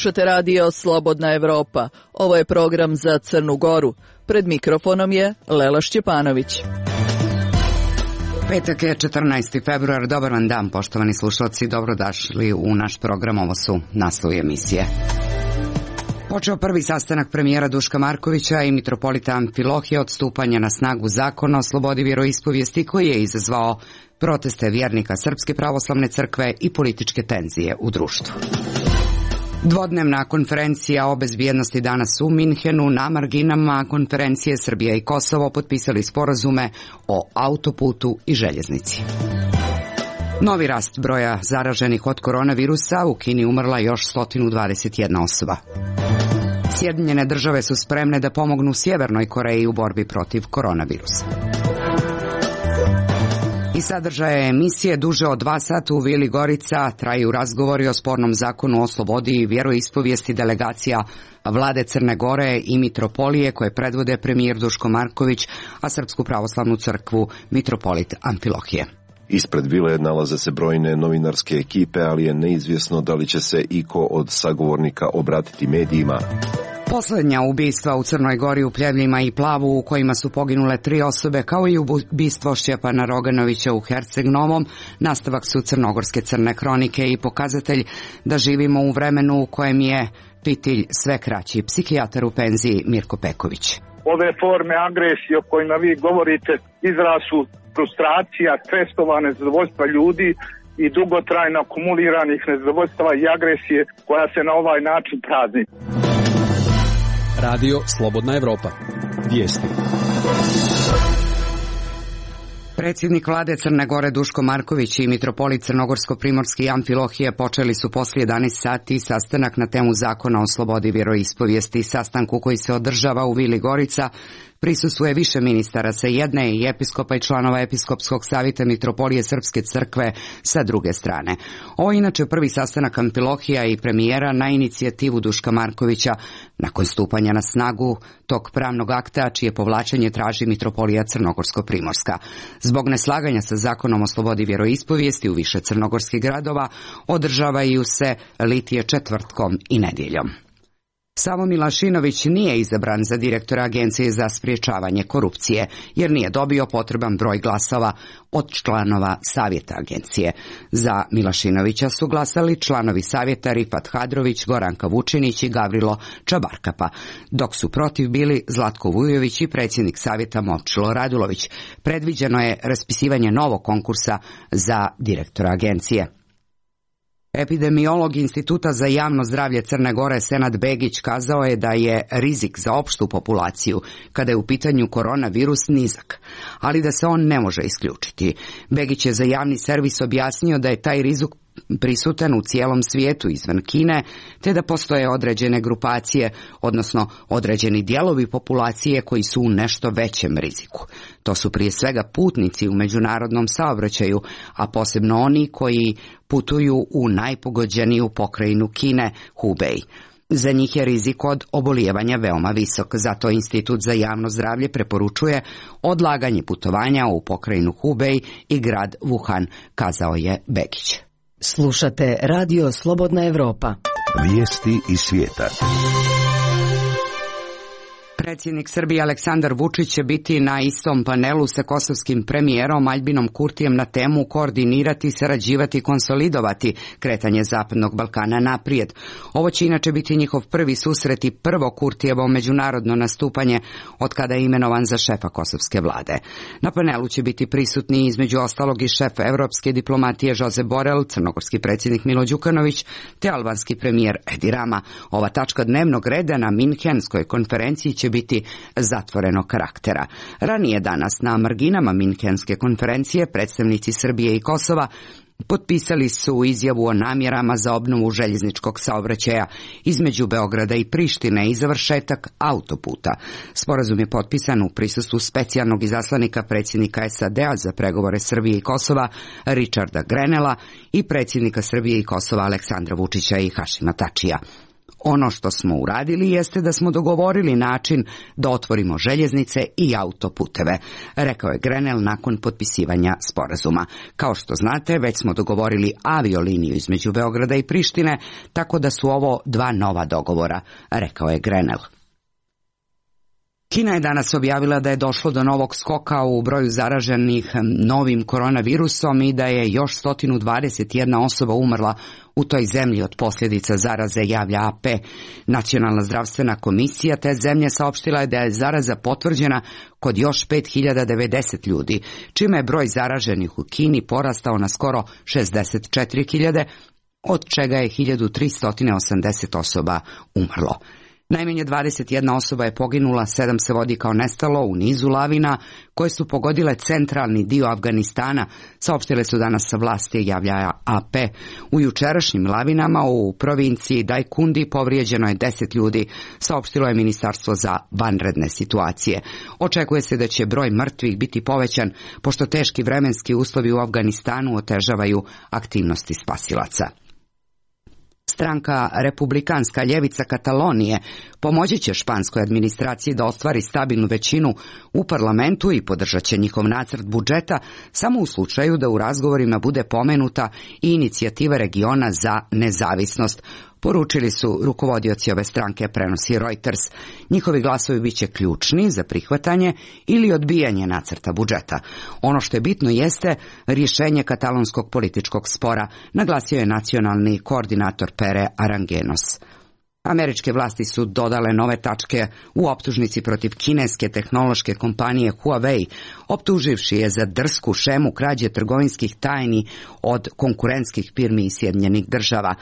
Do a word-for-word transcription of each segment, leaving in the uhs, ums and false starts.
Slušate radio Slobodna Evropa. Ovo je program za Crnu Goru. Pred mikrofonom je Lela Šćepanović. Petak je četrnaesti februar. Dobar vam dan, poštovani slušalci. Dobrodošli u naš program. Ovo su naslovi emisije. Počeo prvi sastanak premijera Duška Markovića i mitropolita Amfilohija od stupanja na snagu zakona o slobodi vjeroispovijesti koji je izazvao proteste vjernika Srpske pravoslavne crkve i političke tenzije u društvu. Dvodnevna konferencija o bezbjednosti danas u Minhenu. Na marginama konferencije Srbija i Kosovo potpisali sporazume o autoputu i željeznici. Novi rast broja zaraženih od koronavirusa, u Kini umrla još sto dvadeset jedna osoba. Sjedinjene države su spremne da pomognu Sjevernoj Koreji u borbi protiv koronavirusa. I sadržaje emisije duže od dva sata u Vili Gorica traju razgovori o spornom zakonu o slobodi i vjeroispovijesti delegacija vlade Crne Gore i mitropolije koje predvode premijer Duško Marković, a Srpsku pravoslavnu crkvu mitropolit Amfilohije. Ispred vile nalaze se brojne novinarske ekipe, ali je neizvjesno da li će se iko od sagovornika obratiti medijima. Posljednja ubistva u Crnoj Gori u Pljevljima i Plavu u kojima su poginule tri osobe, kao i ubistvo Šćepana Roganovića u Herceg Novom, nastavak su crnogorske crne kronike i pokazatelj da živimo u vremenu u kojem je pitilj sve kraći. Psihijatar u penziji Mirko Peković. Ove forme agresije o kojima vi govorite izraz su frustracija, stresova, nezadovoljstva ljudi i dugotrajno akumuliranih nezadovoljstava i agresije koja se na ovaj način prazni. Radio Slobodna Evropa. Vijesti. Predsjednik vlade Crne Gore Duško Marković i mitropolit Crnogorsko-primorski Amfilohije počeli su poslije jedanaest sati sastanak na temu zakona o slobodi vjeroispovijesti. Sastanku koji se održava u Vili Gorica prisustvuje više ministara sa jedne i episkopa i članova episkopskog savjeta mitropolije Srpske crkve sa druge strane. Ovo je inače prvi sastanak Amfilohija i premijera na inicijativu Duška Markovića nakon stupanja na snagu tog pravnog akta čije povlačenje traži mitropolija Crnogorsko-primorska. Zbog neslaganja sa zakonom o slobodi vjeroispovijesti u više crnogorskih gradova održavaju se litije četvrtkom i nedjeljom. Samo Milašinović nije izabran za direktora Agencije za sprječavanje korupcije, jer nije dobio potreban broj glasova od članova savjeta agencije. Za Milašinovića su glasali članovi savjeta Rifat Hadrović, Goranka Vučinić i Gavrilo Čabarkapa, dok su protiv bili Zlatko Vujović i predsjednik savjeta Momčilo Radulović. Predviđeno je raspisivanje novog konkursa za direktora agencije. Epidemiolog Instituta za javno zdravlje Crne Gore Senad Begić kazao je da je rizik za opštu populaciju kada je u pitanju koronavirus nizak, ali da se on ne može isključiti. Begić je za javni servis objasnio da je taj rizik prisutan u cijelom svijetu izvan Kine, te da postoje određene grupacije, odnosno određeni dijelovi populacije koji su u nešto većem riziku. To su prije svega putnici u međunarodnom saobraćaju, a posebno oni koji putuju u najpogođeniju pokrajinu Kine, Hubei. Za njih je rizik od obolijevanja veoma visok, zato Institut za javno zdravlje preporučuje odlaganje putovanja u pokrajinu Hubei i grad Wuhan, kazao je Begić. Slušate Radio Slobodna Evropa. Vijesti iz svijeta. Predsjednik Srbije Aleksandar Vučić će biti na istom panelu sa kosovskim premijerom Aljbinom Kurtijem na temu koordinirati, sarađivati i konsolidovati kretanje Zapadnog Balkana naprijed. Ovo će inače biti njihov prvi susret i prvo Kurtijevo međunarodno nastupanje od kada je imenovan za šefa kosovske vlade. Na panelu će biti prisutni između ostalog i šef evropske diplomatije Josep Borrell, crnogorski predsjednik Milo Đukanović te albanski premijer Edi Rama. Ova tačka dnevnog reda na Minhenskoj konferenciji će biti zatvorenog karaktera. Ranije danas na marginama Minhenske konferencije predstavnici Srbije i Kosova potpisali su izjavu o namjerama za obnovu željezničkog saobraćaja između Beograda i Prištine i završetak autoputa. Sporazum je potpisan u prisustvu specijalnog izaslanika predsjednika S A D-a za pregovore Srbije i Kosova Richarda Grenela i predsjednika Srbije i Kosova Aleksandra Vučića i Hašima Tačija. Ono što smo uradili jeste da smo dogovorili način da otvorimo željeznice i autoputeve, rekao je Grenell nakon potpisivanja sporazuma. Kao što znate, već smo dogovorili avioliniju između Beograda i Prištine, tako da su ovo dva nova dogovora, rekao je Grenell. Kina je danas objavila da je došlo do novog skoka u broju zaraženih novim koronavirusom i da je još sto dvadeset jedna osoba umrla u toj zemlji od posljedica zaraze, javlja A P. Nacionalna zdravstvena komisija te zemlje saopštila je da je zaraza potvrđena kod još pet hiljada devedeset ljudi, čime je broj zaraženih u Kini porastao na skoro šezdeset četiri hiljade, od čega je hiljadu tristo osamdeset osoba umrlo. Najmanje dvadeset jedna osoba je poginula, sedam se vodi kao nestalo u nizu lavina koje su pogodile centralni dio Afganistana, saopštile su danas sa vlasti, javlja A P. U jučerašnjim lavinama u provinciji Dajkundi povrijeđeno je deset ljudi, saopštilo je Ministarstvo za vanredne situacije. Očekuje se da će broj mrtvih biti povećan, pošto teški vremenski uslovi u Afganistanu otežavaju aktivnosti spasilaca. Stranka Republikanska ljevica Katalonije pomoći će španskoj administraciji da ostvari stabilnu većinu u parlamentu i podržat će njihov nacrt budžeta samo u slučaju da u razgovorima bude pomenuta i inicijativa regiona za nezavisnost, poručili su rukovodioci ove stranke, prenosi Reuters. Njihovi glasovi bit će ključni za prihvatanje ili odbijanje nacrta budžeta. Ono što je bitno jeste rješenje katalonskog političkog spora, naglasio je nacionalni koordinator Pere Aranguenos. Američke vlasti su dodale nove tačke u optužnici protiv kineske tehnološke kompanije Huawei, optuživši je za drsku šemu krađe trgovinskih tajni od konkurentskih firmi iz Sjedinjenih Država.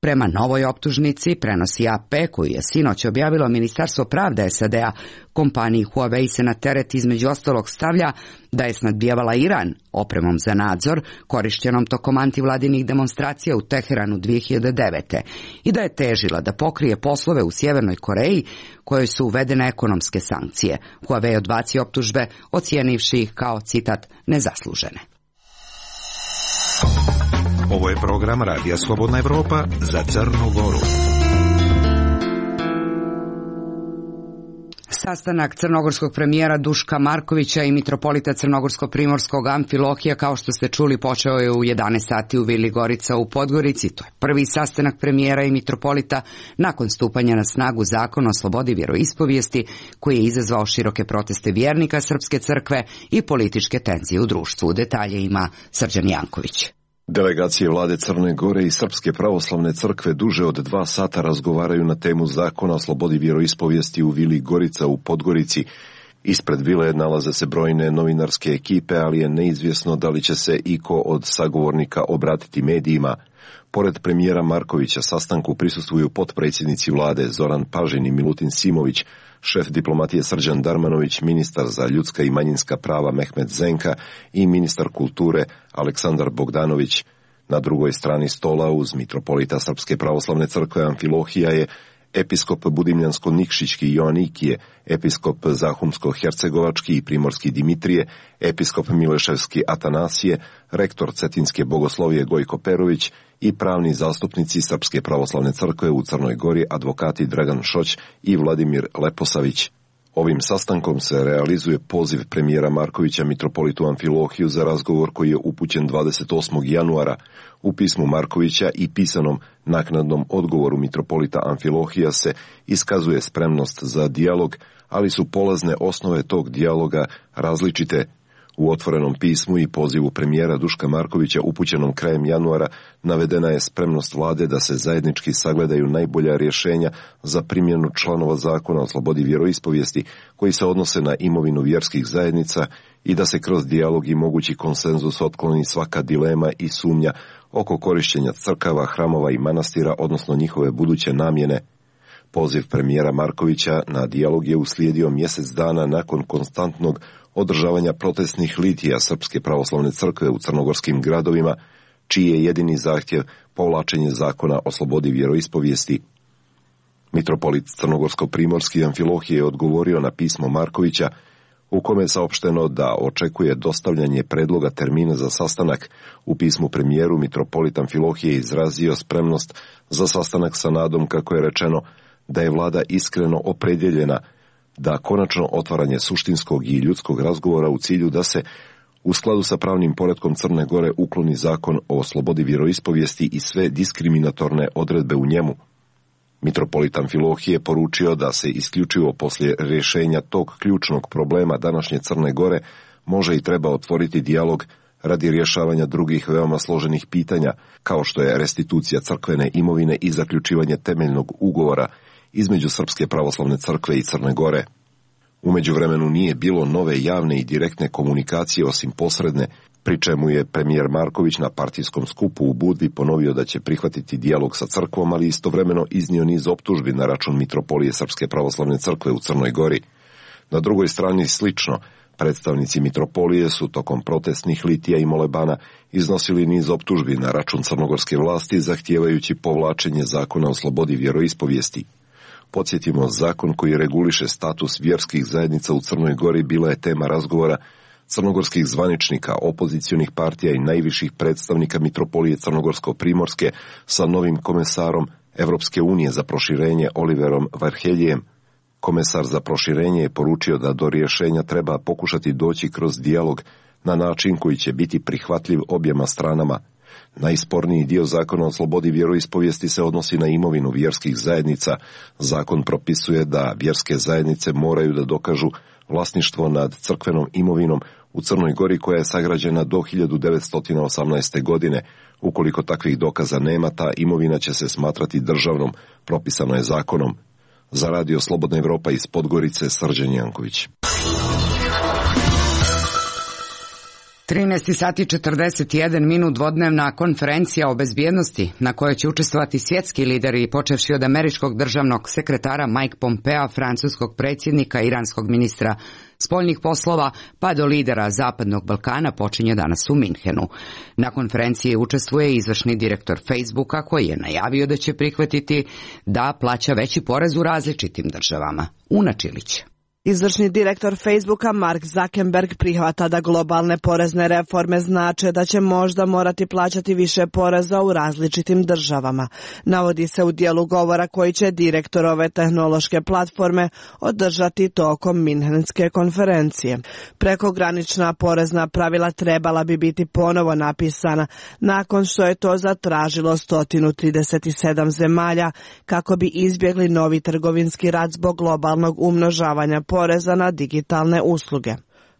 Prema novoj optužnici, prenosi A P, koju je sinoć objavilo Ministarstvo pravde S A D-a, kompaniji Huawei se na teret između ostalog stavlja da je snadbijavala Iran opremom za nadzor, korištenom tokom antivladinih demonstracija u Teheranu dvije hiljade devete. i da je težila da pokrije poslove u Sjevernoj Koreji, kojoj su uvedene ekonomske sankcije. Huawei odbacio optužbe, ocijenivši ih kao, citat, nezaslužene. Ovo je program Radija Slobodna Evropa za Crnu Goru. Sastanak crnogorskog premijera Duška Markovića i mitropolita crnogorsko-primorskog Amfilohija, kao što ste čuli, počeo je u jedanaest sati u Vili Gorica u Podgorici. To je prvi sastanak premijera i mitropolita nakon stupanja na snagu Zakona o slobodi vjeroispovijesti, koji je izazvao široke proteste vjernika Srpske crkve i političke tenzije u društvu. Detalje ima Srđan Janković. Delegacije vlade Crne Gore i Srpske pravoslavne crkve duže od dva sata razgovaraju na temu Zakona o slobodi vjeroispovijesti u Vili Gorica u Podgorici. Ispred vile nalaze se brojne novinarske ekipe, ali je neizvjesno da li će se iko od sagovornika obratiti medijima. Pored premijera Markovića sastanku prisustvuju potpredsjednici vlade Zoran Pažin i Milutin Simović, šef diplomatije Srđan Darmanović, ministar za ljudska i manjinska prava Mehmet Zenka i ministar kulture Aleksandar Bogdanović. Na drugoj strani stola uz mitropolita Srpske pravoslavne crkve Amfilohija je episkop Budimljansko-Nikšićki Joanikije, episkop Zahumsko-Hercegovački i Primorski Dimitrije, episkop Mileševski Atanasije, rektor Cetinske bogoslovije Gojko Perović i pravni zastupnici Srpske pravoslavne crkve u Crnoj Gori, advokati Dragan Šoć i Vladimir Leposavić. Ovim sastankom se realizuje poziv premijera Markovića mitropolitu Amfilohiju za razgovor koji je upućen dvadeset osmog januara. U pismu Markovića i pisanom naknadnom odgovoru mitropolita Amfilohija se iskazuje spremnost za dijalog, ali su polazne osnove tog dijaloga različite. U otvorenom pismu i pozivu premijera Duška Markovića upućenom krajem januara navedena je spremnost vlade da se zajednički sagledaju najbolja rješenja za primjenu članova Zakona o slobodi vjeroispovijesti koji se odnose na imovinu vjerskih zajednica i da se kroz dijalog i mogući konsenzus otkloni svaka dilema i sumnja oko korištenja crkava, hramova i manastira, odnosno njihove buduće namjene. Poziv premijera Markovića na dijalog je uslijedio mjesec dana nakon konstantnog održavanja protestnih litija Srpske pravoslavne crkve u crnogorskim gradovima, čiji je jedini zahtjev povlačenje Zakona o slobodi vjeroispovijesti. Mitropolit crnogorsko-primorski Amfilohije je odgovorio na pismo Markovića, u kome je saopšteno da očekuje dostavljanje predloga termina za sastanak. U pismu premijeru mitropolit Amfilohije izrazio spremnost za sastanak sa nadom, kako je rečeno, da je vlada iskreno opredjeljena da konačno otvaranje suštinskog i ljudskog razgovora u cilju da se u skladu sa pravnim poretkom Crne Gore ukloni zakon o slobodi vjeroispovijesti i sve diskriminatorne odredbe u njemu. Mitropolit Amfilohije poručio da se isključivo poslije rješenja tog ključnog problema današnje Crne Gore može i treba otvoriti dijalog radi rješavanja drugih veoma složenih pitanja, kao što je restitucija crkvene imovine i zaključivanje temeljnog ugovora između Srpske pravoslavne crkve i Crne Gore. U međuvremenu nije bilo nove javne i direktne komunikacije osim posredne, pri čemu je premijer Marković na partijskom skupu u Budvi ponovio da će prihvatiti dijalog sa crkvom, ali istovremeno iznio niz optužbi na račun mitropolije Srpske pravoslavne crkve u Crnoj Gori. Na drugoj strani slično, predstavnici mitropolije su tokom protestnih litija i molebana iznosili niz optužbi na račun crnogorske vlasti, zahtijevajući povlačenje zakona o slobodi vjeroispovijesti. Podsjetimo, zakon koji reguliše status vjerskih zajednica u Crnoj Gori bila je tema razgovora crnogorskih zvaničnika, opozicionih partija i najviših predstavnika mitropolije Crnogorsko-Primorske sa novim komesarom Evropske unije za proširenje Oliverom Varheljijem. Komesar za proširenje je poručio da do rješenja treba pokušati doći kroz dijalog na način koji će biti prihvatljiv objema stranama. Najsporniji dio zakona o slobodi vjeroispovijesti se odnosi na imovinu vjerskih zajednica. Zakon propisuje da vjerske zajednice moraju da dokažu vlasništvo nad crkvenom imovinom u Crnoj Gori koja je sagrađena do hiljadu devetsto osamnaeste. godine. Ukoliko takvih dokaza nema, ta imovina će se smatrati državnom, propisano je zakonom. Za Radio Slobodna Evropa iz Podgorice, Srđan Janković. trinaest sati četrdeset jedan minut dvodnevna konferencija o bezbjednosti na kojoj će učestvovati svjetski lideri, počevši od američkog državnog sekretara Mike Pompea, francuskog predsjednika, iranskog ministra spoljnih poslova, pa do lidera Zapadnog Balkana, počinje danas u Minhenu. Na konferenciji učestvuje izvršni direktor Facebooka, koji je najavio da će prihvatiti da plaća veći porez u različitim državama. Una Čilić. Izvršni direktor Facebooka Mark Zuckerberg prihvata da globalne porezne reforme znače da će možda morati plaćati više poreza u različitim državama. Navodi se u dijelu govora koji će direktor ove tehnološke platforme održati tokom Minhenske konferencije. Prekogranična porezna pravila trebala bi biti ponovo napisana nakon što je to zatražilo sto trideset sedam zemalja kako bi izbjegli novi trgovinski rat zbog globalnog umnožavanja poreza na digitalne usluge.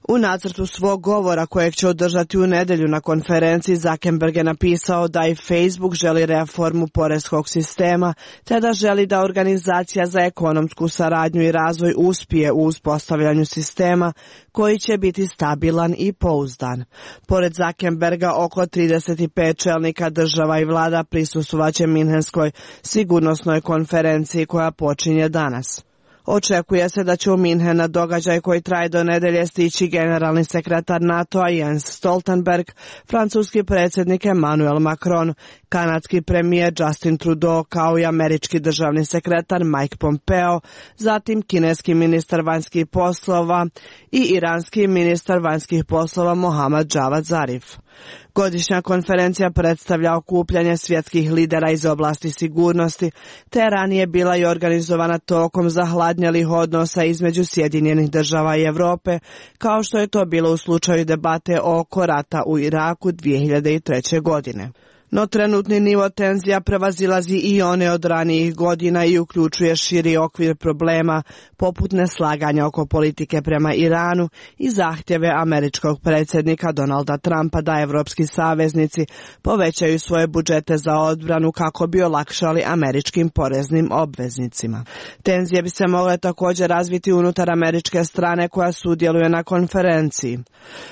U nacrtu svog govora kojeg će održati u nedjelju na konferenciji, Zuckerberg je napisao da i Facebook želi reformu poreskog sistema, te da želi da Organizacija za ekonomsku saradnju i razvoj uspije u uspostavljanju sistema koji će biti stabilan i pouzdan. Pored Zuckerberga, oko trideset pet čelnika država i vlada prisustvovaće Minhenskoj sigurnosnoj konferenciji koja počinje danas. Očekuje se da će u Minhen na događaj koji traje do nedelje stići generalni sekretar NATO-a Jens Stoltenberg, francuski predsjednik Emmanuel Macron, kanadski premijer Justin Trudeau kao i američki državni sekretar Mike Pompeo, zatim kineski ministar vanjskih poslova i iranski ministar vanjskih poslova Mohammad Javad Zarif. Godišnja konferencija predstavlja okupljanje svjetskih lidera iz oblasti sigurnosti, te ranije bila i organizovana tokom zahladnjelih odnosa između Sjedinjenih država i Europe, kao što je to bilo u slučaju debate oko rata u Iraku dvije hiljade treće. godine. No trenutni nivo tenzija prevazilazi i one od ranijih godina i uključuje širi okvir problema poput neslaganja oko politike prema Iranu i zahtjeve američkog predsjednika Donalda Trumpa da evropski saveznici povećaju svoje budžete za odbranu kako bi olakšali američkim poreznim obveznicima. Tenzije bi se mogle također razviti unutar američke strane koja sudjeluje na konferenciji.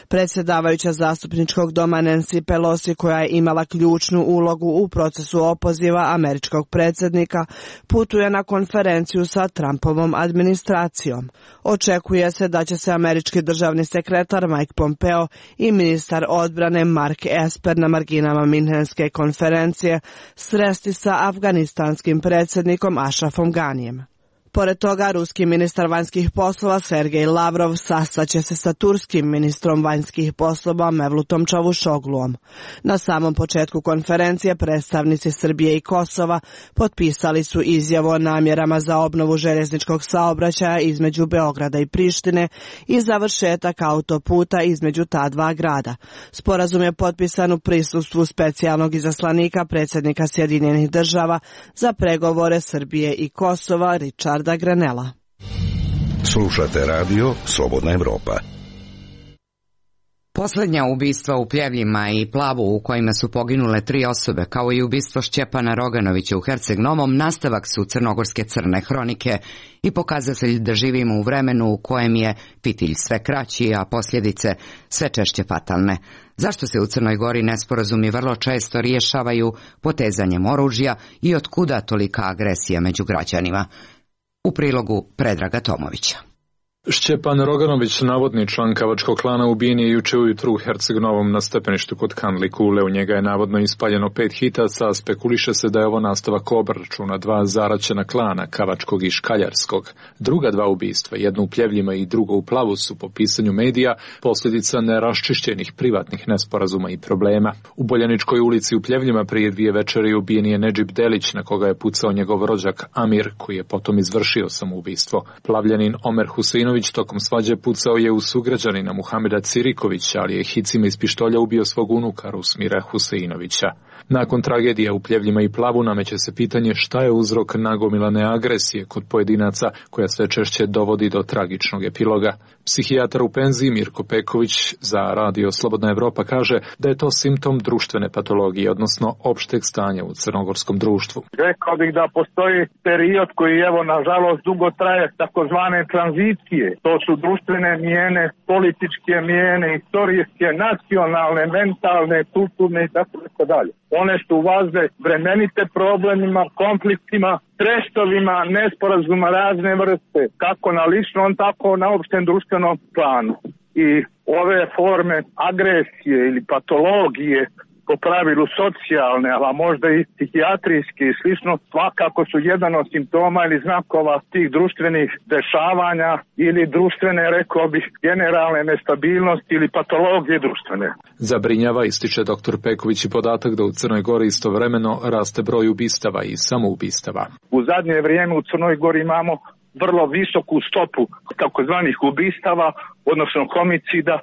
Predsjedavajuća zastupničkog doma Nancy Pelosi, koja je imala ključ ulogu u procesu opoziva američkog predsjednika, putuje na konferenciju sa Trumpovom administracijom. Očekuje se da će se američki državni sekretar Mike Pompeo i ministar odbrane Mark Esper na marginama Minhenske konferencije sresti sa afganistanskim predsjednikom Ashrafom Ganijem. Pored toga, ruski ministar vanjskih poslova Sergej Lavrov sastaće se sa turskim ministrom vanjskih poslova Mevlutom Čavuşogluom. Na samom početku konferencije predstavnici Srbije i Kosova potpisali su izjavu o namjerama za obnovu željezničkog saobraćaja između Beograda i Prištine i završetak autoputa između ta dva grada. Sporazum je potpisan u prisustvu specijalnog izaslanika predsjednika Sjedinjenih država za pregovore Srbije i Kosova Richarda Grenella. Slušate radio Slobodna Evropa. Posljednja ubistva u Pljevljima i Plavu u kojima su poginule tri osobe, kao i ubistvo Šćepana Roganovića u Herceg Novom, nastavak su crnogorske crne hronike i pokazatelj da živimo u vremenu u kojem je fitilj sve kraći, a posljedice sve češće fatalne. Zašto se u Crnoj Gori nesporazumi vrlo često rješavaju potezanjem oružja i otkuda tolika agresija među građanima? U prilogu Predraga Tomovića. Šćepan Roganović, navodni član kavačkog klana, ubijen je juče ujutru u Herceg Novom na stepeništu kod Kandli Kule. U njega je navodno ispaljeno pet hitaca, a spekuliše se da je ovo nastavak obračuna dva zaraćena klana, kavačkog i škaljarskog. Druga dva ubistva, jedno u Pljevljima i drugo u Plavu, su po pisanju medija posljedica neraščišćenih privatnih nesporazuma i problema. U Boljaničkoj ulici u Pljevljima prije dvije večeri ubijen je Nedžib Delić, na koga je pucao njegov rođak Amir, koji je potom izvršio samoubistvo. Plavljanin Omer Huseinović tokom svađe pucao je u sugrađanina Muhameda Cirikovića, ali je hicima iz pištolja ubio svog unuka Rusmira Huseinovića. Nakon tragedija u Pljevljima i Plavu nameće se pitanje šta je uzrok nagomilane agresije kod pojedinaca koja sve češće dovodi do tragičnog epiloga. Psihijatar u penziji Mirko Peković za radio Slobodna Evropa kaže da je to simptom društvene patologije, odnosno opšteg stanja u crnogorskom društvu. Rekao bih da postoji period koji evo nažalost dugo traje, takozvane tranzicije. To su društvene mijene, političke mijene, istorijske, nacionalne, mentalne, kulturne i tako dalje. One su važne vremenite problemima, konfliktima, stresovima, nesporazuma razne vrste, kako na ličnom, tako na opštem društvenom planu. I ove forme agresije ili patologije, po pravilu socijalne, a možda i psihijatrijske i slično, svakako su jedan od simptoma ili znakova tih društvenih dešavanja ili društvene, rekao bih, generalne nestabilnosti ili patologije društvene. Zabrinjava, ističe doktor Peković, i podatak da u Crnoj Gori istovremeno raste broj ubistava i samoubistava. U zadnje vrijeme u Crnoj Gori imamo vrlo visoku stopu takozvanih ubistava, odnosno homicida,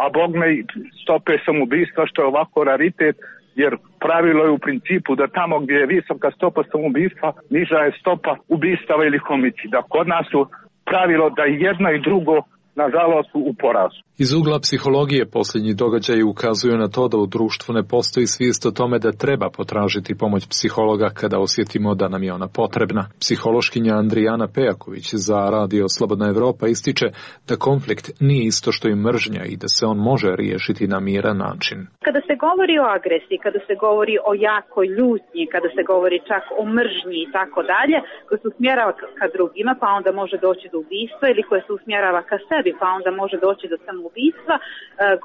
a bogme i stope samoubistva, što je ovako raritet, jer pravilo je u principu da tamo gdje je visoka stopa samoubistva, niža je stopa ubistava ili homicida. Kod nas su pravilo da jedno i drugo, nažalost, u porazu. Iz ugla psihologije posljednji događaji ukazuju na to da u društvu ne postoji svijest o tome da treba potražiti pomoć psihologa kada osjetimo da nam je ona potrebna. Psihološkinja Andrijana Pejaković za radio Slobodna Evropa ističe da konflikt nije isto što i mržnja i da se on može riješiti na miran način. Kada se govori o agresiji, kada se govori o jakoj ljutnji, kada se govori čak o mržnji i tako dalje, koja se usmjerava ka drugima, pa onda može doći do ubistva, ili koja se usmjerava ka sebi, pa onda može doći do samoubistva, ubistva,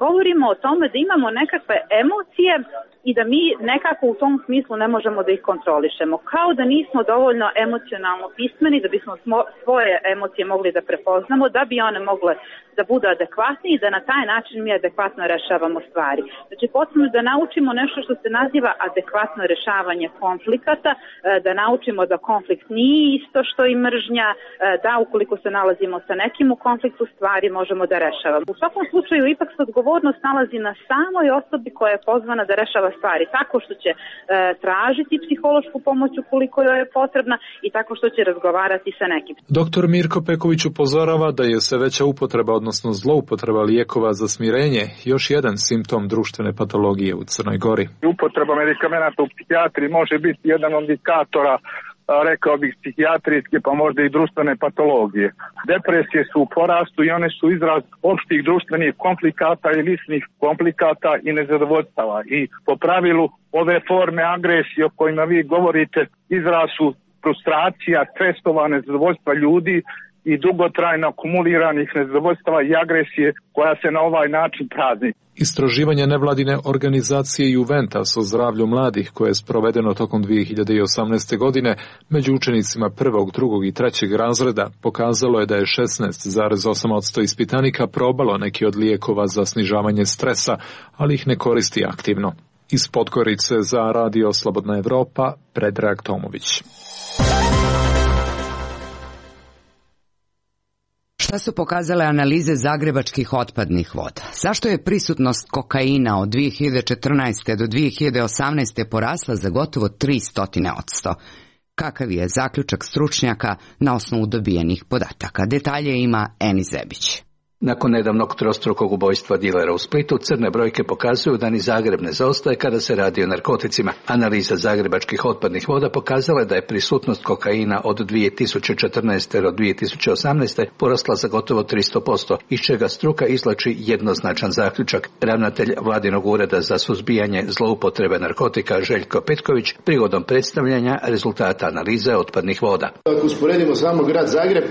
govorimo o tome da imamo nekakve emocije i da mi nekako u tom smislu ne možemo da ih kontrolišemo. Kao da nismo dovoljno emocionalno pismeni da bismo svoje emocije mogli da prepoznamo, da bi one mogle da budu adekvatne i da na taj način mi adekvatno rešavamo stvari. Znači, potrebno da naučimo nešto što se naziva adekvatno rešavanje konflikata, da naučimo da konflikt nije isto što i mržnja, da ukoliko se nalazimo sa nekim u konfliktu stvari možemo da rešavamo. U svakom slučaju ipak se odgovornost nalazi na samoj osobi koja je pozvana da rešava stvari, tako što će e, tražiti psihološku pomoć ukoliko joj je potrebna i tako što će razgovarati sa nekim. Doktor Mirko Peković upozorava da je sve veća upotreba, odnosno zloupotreba lijekova za smirenje, još jedan simptom društvene patologije u Crnoj Gori. Upotreba medikamenata u psihijatriji može biti jedan od indikatora, rekao bih, psihijatrijske pa možda i društvene patologije. Depresije su u porastu i one su izraz opštih društvenih komplikata i ličnih komplikata i nezadovoljstava. I po pravilu ove forme agresije o kojima vi govorite izraz su frustracija, stresova, nezadovoljstva ljudi i dugotrajno akumuliranih nezadovoljstava i agresije koja se na ovaj način prazni. Istraživanje nevladine organizacije Juventus o zdravlju mladih koje je sprovedeno tokom dvije hiljade osamnaeste. godine među učenicima prvog, drugog i trećeg razreda pokazalo je da je šesnaest zarez osam posto ispitanika probalo neki od lijekova za snižavanje stresa, ali ih ne koristi aktivno. Iz Podgorice za Radio Slobodna Evropa, Predrag Tomović. Šta su pokazale analize zagrebačkih otpadnih voda? Zašto je prisutnost kokaina od dvije hiljade četrnaeste. do dvije hiljade osamnaeste. porasla za gotovo tristo posto? Kakav je zaključak stručnjaka na osnovu dobijenih podataka? Detalje ima Eni Zebić. Nakon nedavnog trostrukog ubojstva dilera u Splitu, crne brojke pokazuju da ni Zagreb ne zaostaje kada se radi o narkoticima. Analiza zagrebačkih otpadnih voda pokazala je da je prisutnost kokaina od dvije tisuće četrnaeste. do dvije tisuće osamnaeste. porasla za gotovo tristo posto, iz čega struka izvlači jednoznačan zaključak. Ravnatelj Vladinog ureda za suzbijanje zloupotrebe narkotika Željko Petković prigodom predstavljanja rezultata analize otpadnih voda. Ako usporedimo samo grad Zagreb,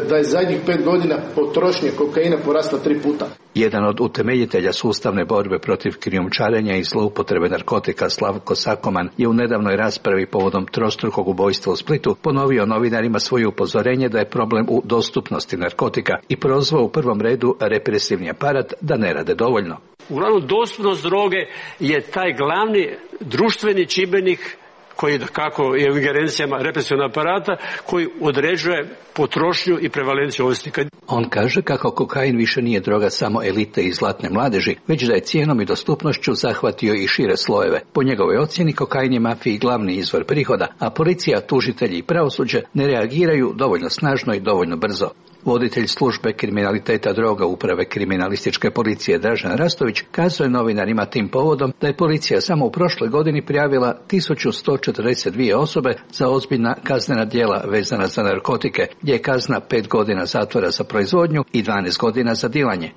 da je zadnjih pet godina potrošnje kokaina porasla tri puta. Jedan od utemeljitelja sustavne borbe protiv krijumčarenja i zloupotrebe narkotika Slavko Sakoman je u nedavnoj raspravi povodom trostrukog ubojstva u Splitu ponovio novinarima svoje upozorenje da je problem u dostupnosti narkotika i prozvao u prvom redu represivni aparat da ne rade dovoljno. Uglavnom, dostupnost droge je taj glavni društveni čimbenik koji kako je u ingerencijama represivnog aparata koji određuje potrošnju i prevalenciju ovisnika. On kaže kako kokain više nije droga samo elite i zlatne mladeži, već da je cijenom i dostupnošću zahvatio i šire slojeve. Po njegovoj ocjeni kokain je mafiji glavni izvor prihoda, a policija, tužitelji i pravosuđe ne reagiraju dovoljno snažno i dovoljno brzo. Voditelj službe kriminaliteta droga uprave kriminalističke policije Dražen Rastović kazuje novinarima tim povodom da je policija samo u prošloj godini prijavila tisuću sto četrdeset dvije osobe za ozbiljna kaznena djela vezana za narkotike, gdje je kazna pet godina zatvora za proizvodnju i dvanaest godina za dilanje.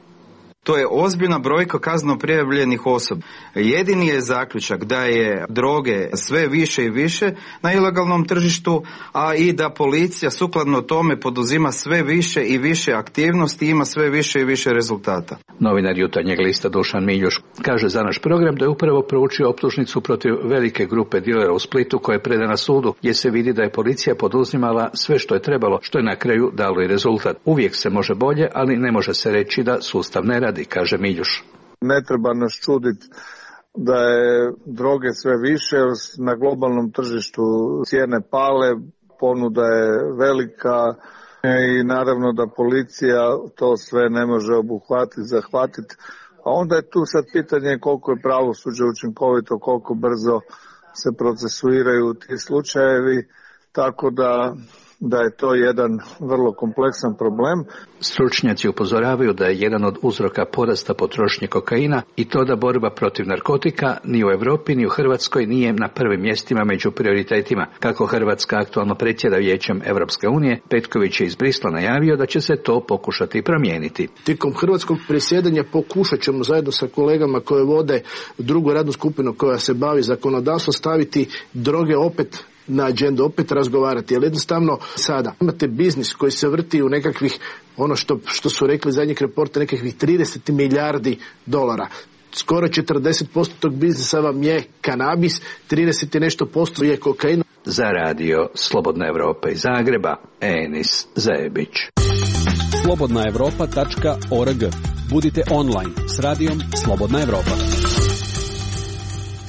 To je ozbiljna brojka kazneno prijavljenih osoba. Jedini je zaključak da je droge sve više i više na ilegalnom tržištu, a i da policija sukladno tome poduzima sve više i više aktivnosti i ima sve više i više rezultata. Novinar Jutarnjeg lista Dušan Miljuš kaže za naš program da je upravo proučio optužnicu protiv velike grupe dilera u Splitu koja je predana sudu, gdje se vidi da je policija poduzimala sve što je trebalo, što je na kraju dalo i rezultat. Uvijek se može bolje, ali ne može se reći da sustav ne radi, kaže Miljuš. Ne treba nas čuditi da je droge sve više, na globalnom tržištu cijene pale, ponuda je velika i naravno da policija to sve ne može obuhvatiti, zahvatiti. A onda je tu sad pitanje koliko je pravosuđe učinkovito, koliko brzo se procesuiraju ti slučajevi, tako da da je to jedan vrlo kompleksan problem. Stručnjaci upozoravaju da je jedan od uzroka porasta potrošnje kokaina i to da borba protiv narkotika ni u Europi ni u Hrvatskoj nije na prvim mjestima među prioritetima. Kako Hrvatska aktualno predsjeda Vijećem Europske unije, Petković je iz Brisla najavio da će se to pokušati promijeniti. Tijekom hrvatskog predsjedanja pokušat ćemo zajedno sa kolegama koje vode drugu radnu skupinu koja se bavi zakonodavstvom staviti droge opet na agendu, opet razgovarati, jer jednostavno sada imate biznis koji se vrti u nekakvih, ono što, što su rekli zadnjeg reporta, nekakvih trideset milijardi dolara. Skoro četrdeset posto tog biznisa vam je kanabis, trideset i nešto posto je kokain. Za radio Slobodna Evropa iz Zagreba, Enis Zebić. slobodna evropa tačka org. Budite online s radijom Slobodna Evropa.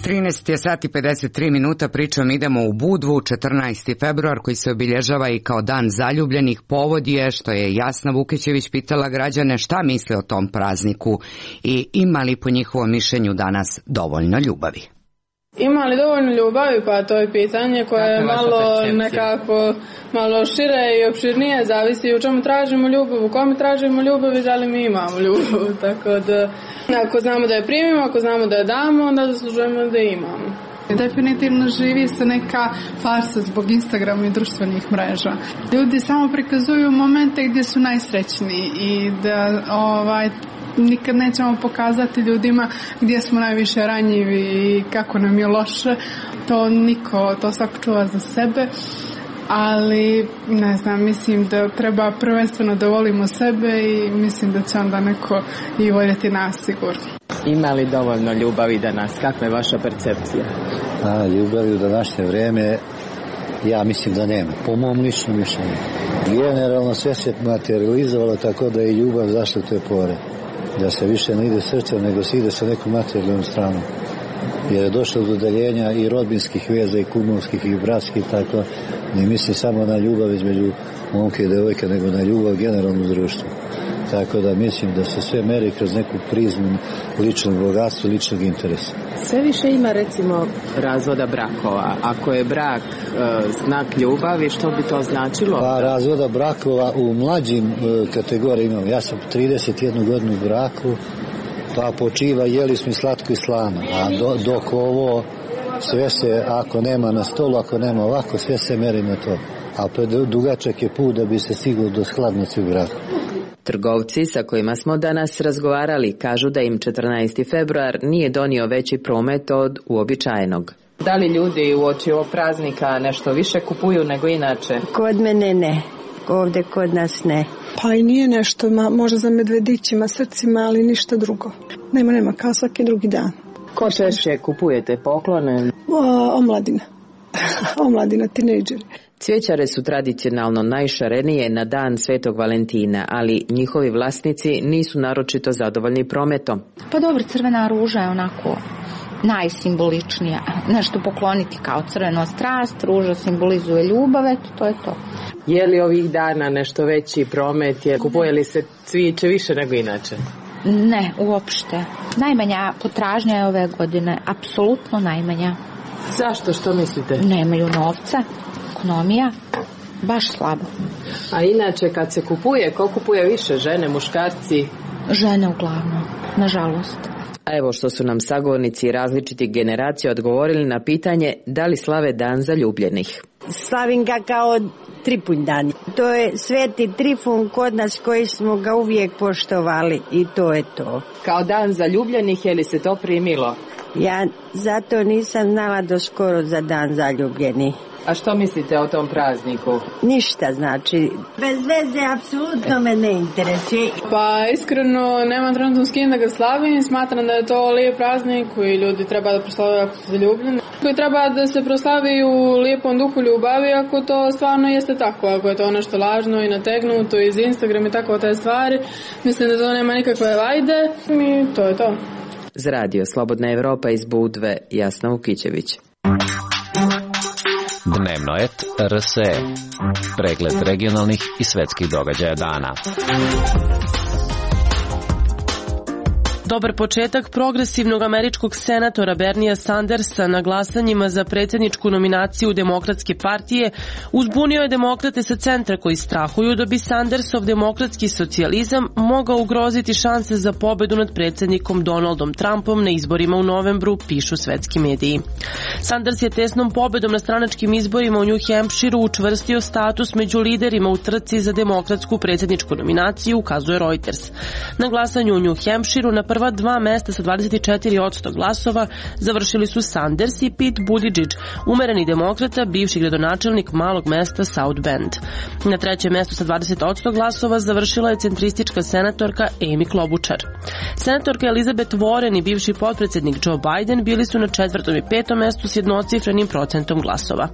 trinaest je sati pedeset tri minuta, pričom idemo u Budvu, četrnaesti februar koji se obilježava i kao dan zaljubljenih. Povod je što je Jasna Vukićević pitala građane šta misle o tom prazniku i ima li po njihovom mišljenju danas dovoljno ljubavi. Ima li dovoljno ljubavi? Pa to je pitanje koje je malo nekako malo šire i opširnije, zavisi u čemu tražimo ljubav, u kome tražimo ljubav i da li mi imamo ljubav. Tako da ako znamo da je primimo, ako znamo da je damo, onda zaslužujemo da je imamo. Definitivno živi se neka farsa zbog Instagrama i društvenih mreža. Ljudi samo prikazuju momente gdje su najsrećniji i da ovaj nikad nećemo pokazati ljudima gdje smo najviše ranjivi i kako nam je loše. To niko, to svako čuva za sebe. ali ne znam, mislim da treba prvenstveno da volimo sebe i mislim da će onda neko i voljeti nas sigurno. Ima li dovoljno ljubavi danas? Kakva je vaša percepcija? A, ljubavi u današnje vreme, ja mislim da nema. Po mom ličnom mišljenju. Generalno sve se materializovalo tako da je ljubav zašla u te pore. Da se više ne ide srcem, nego se ide sa nekom materijalnom stranom. Jer je došlo do udaljenja i rodbinskih veza i kumovskih i bratskih, tako ne mislim samo na ljubav između momke i devojke, nego na ljubav generalno u društvu. Tako da mislim da se sve meri kroz neku prizmu ličnog bogatstva, ličnog interesa. Sve više ima recimo razvoda brakova. Ako je brak e, znak ljubavi, što bi to značilo? Pa razvoda brakova u mlađim e, kategorijama imam. Ja sam trideset jednu godinu u braku, pa počiva jeli smo i slatko i slano. A do, dok ovo sve se, ako nema na stolu, ako nema ovako, sve se meri na to. A dugačak je put da bi se stiglo do skladnosti u braku. Trgovci sa kojima smo danas razgovarali kažu da im četrnaesti februar nije donio veći promet od uobičajenog. Da li ljudi uoči ovog praznika nešto više kupuju nego inače? Kod mene ne, ovdje kod nas ne. Pa i nije nešto, ma, možda za medvedićima, srcima, ali ništa drugo. Nema, nema, kao svaki drugi dan. Ko češće kupujete poklone? O, omladina. Omladina, tinejdžeri. Cvjećare su tradicionalno najšarenije na dan Svetog Valentina, ali njihovi vlasnici nisu naročito zadovoljni prometom. Pa dobro, crvena ruža je onako najsimboličnija. Nešto pokloniti kao crveno strast, ruža simbolizuje ljubav, eto, to je to. Je li ovih dana nešto veći promet, je, kupuje li se cvijeće više nego inače? Ne, uopšte. Najmanja potražnja je ove godine, apsolutno najmanja. Zašto, što mislite? Nemaju novca. Ekonomija, baš slabo. A inače kad se kupuje, ko kupuje više, žene, muškarci? Žene uglavnom, nažalost. A evo što su nam sagovornici različitih generacija odgovorili na pitanje da li slave dan zaljubljenih. Slavim ga kao Tripunj dan. To je Sveti Trifun kod nas koji smo ga uvijek poštovali i to je to. Kao dan zaljubljenih, je li se to primilo? Ja zato nisam znala do skoro za dan zaljubljenih. A što mislite o tom prazniku? Ništa, znači, bez veze, apsolutno me ne interesuje. Pa iskreno, nemam trenutno s kim da ga slavim, smatram da je to lijep praznik koji ljudi treba da proslave ako su zaljubljeni. Koji treba da se proslavi u lijepom duhu ljubavi ako to stvarno jeste tako, ako je to nešto lažno i nategnuto iz Instagrama i tako te stvari. Mislim da to nema nikakve vajde i to je to. Za radio Slobodna Evropa iz Budve, Jasna Vukićević. Dnevno et R S E. Pregled regionalnih i svetskih događaja dana. Dobar početak progresivnog američkog senatora Bernija Sandersa na glasanjima za predsjedničku nominaciju Demokratske partije uzbunio je demokrate sa centra koji strahuju da bi Sandersov demokratski socijalizam mogao ugroziti šanse za pobedu nad predsjednikom Donaldom Trumpom na izborima u novembru, pišu svetski mediji. Sanders je tesnom pobedom na stranačkim izborima u New Hampshireu učvrstio status među liderima u trci za demokratsku predsjedničku nominaciju, ukazuje Reuters. Na glasanju u New Hampshireu na prva dva mesta sa dvadeset četiri posto glasova završili su Sanders i Pete Buttigieg, umereni demokrata, bivši gradonačelnik malog mesta South Bend. Na trećem mjestu sa dvadeset posto glasova završila je centristička senatorka Amy Klobuchar. Senatorka Elizabeth Warren i bivši potpredsjednik Joe Biden bili su na četvrtom i petom mjestu s jednocifrenim procentom glasova.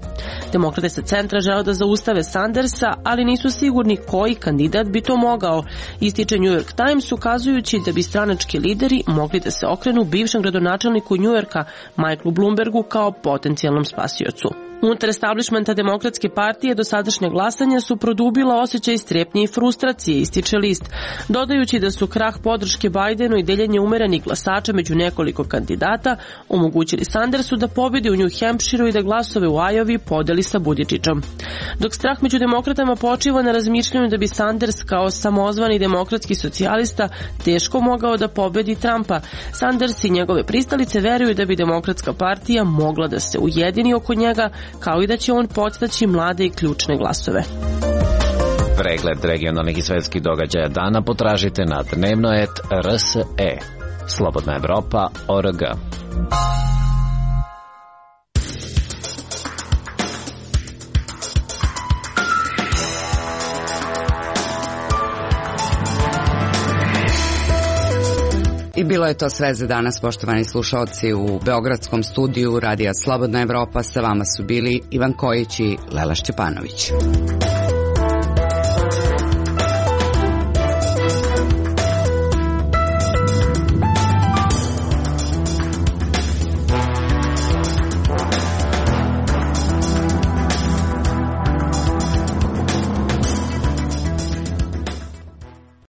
Demokrate sa centra žele da zaustave Sandersa, ali nisu sigurni koji kandidat bi to mogao, ističe New York Times, ukazujući da bi stranački lideri mogli da se okrenu bivšem gradonačelniku New Yorka Michaelu Bloombergu kao potencijalnom spasiocu. Unutar establishmenta Demokratske partije dosadašnja glasanja su produbila osjećaj strepnje i frustracije, ističe list, dodajući da su krah podrške Bidenu i deljenje umerenih glasača među nekoliko kandidata omogućili Sandersu da pobedi u New Hampshireu i da glasove u Iowi podeli sa Buttigiegom. Dok strah među demokratama počiva na razmišljanju da bi Sanders kao samozvani demokratski socijalista teško mogao da pobedi Trumpa, Sanders i njegove pristalice veruju da bi Demokratska partija mogla da se ujedini oko njega, kao i da će on podstaći mlade i ključne glasove. Pregled regionalnih i svetskih događaja dana potražite na dnevno et R S E. Slobodna Evropa, O R G. I bilo je to sve za danas, poštovani slušalci. U beogradskom studiju Radija Slobodna Evropa sa vama su bili Ivan Kojić i Lela Šćepanović.